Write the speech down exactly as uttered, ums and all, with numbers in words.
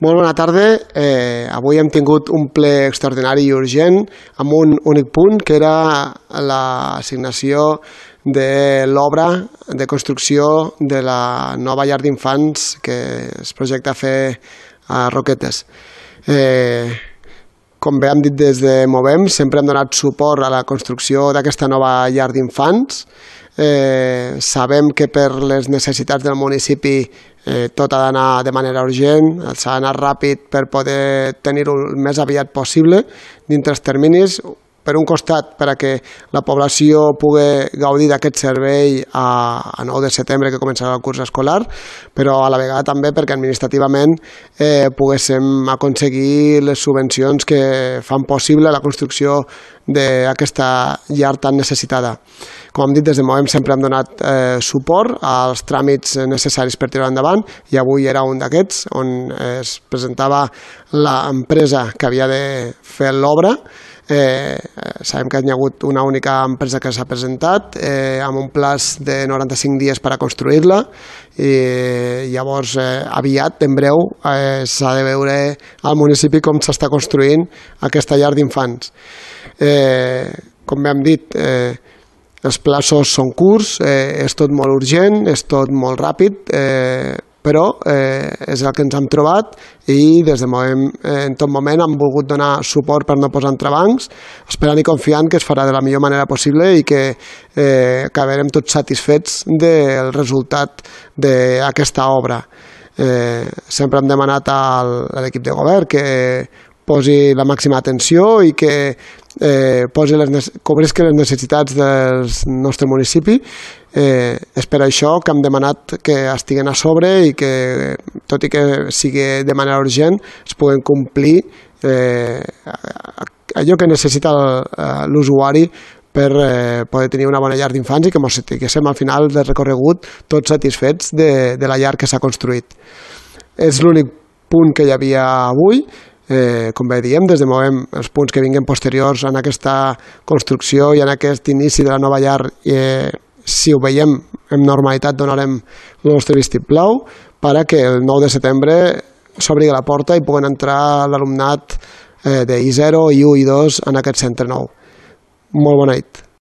Molt bona tarda. Eh, avui hem tingut un ple extraordinari i urgent amb un únic punt, que era l'assignació de l'obra de construcció de la nova llar d'infants que es projecta a fer a Roquetes. Eh, com bé hem dit des de Movem, sempre hem donat suport a la construcció d'aquesta nova llar d'infants. Eh, sabem que per les necessitats del municipi eh, tot ha d'anar de manera urgent, s'ha d'anar ràpid per poder tenir-ho el més aviat possible dintre els terminis. Per un costat, per a que la població pugui gaudir d'aquest servei a, a nou de setembre, que començarà el curs escolar, però a la vegada també perquè administrativament eh, poguéssim aconseguir les subvencions que fan possible la construcció d'aquesta llar tan necessitada. Com hem dit, des de Movem sempre hem donat eh, suport als tràmits necessaris per tirar endavant, i avui era un d'aquests, on es presentava l'empresa que havia de fer l'obra. Eh, sabem que hi ha hagut una única empresa que s'ha presentat eh, amb un plaç de noranta-cinc dies per a construir-la, i llavors eh, aviat, en breu, eh, s'ha de veure al municipi com s'està construint aquesta llar d'infants. Eh, com bé hem dit, eh, els plaços són curts, eh, és tot molt urgent, és tot molt ràpid, eh, però eh, és el que ens hem trobat, i des de Movem eh, en tot moment hem volgut donar suport per no posar entrebancs, esperant i confiant que es farà de la millor manera possible i que eh, acabarem tots satisfets del resultat d'aquesta obra. Eh, sempre hem demanat a l'equip de govern que posi la màxima atenció i que eh, posi les, cobrisqui les necessitats del nostre municipi. Eh, és per això que hem demanat que estiguen a sobre i que, tot i que sigui de manera urgent, es puguen complir eh, allò que necessita l'usuari per eh, poder tenir una bona llar d'infants i que ens estiguéssim al final del recorregut tots satisfets de, de la llar que s'ha construït. És l'únic punt que hi havia avui. Eh, com bé diem, des de Movem els punts que vinguin posteriors en aquesta construcció i en aquest inici de la nova llar, eh, si ho veiem amb normalitat, donarem el nostre vistiplau perquè el nou de setembre s'obri la porta i puguen entrar l'alumnat eh, de I zero, I u i dos en aquest centre nou. Molt bona nit.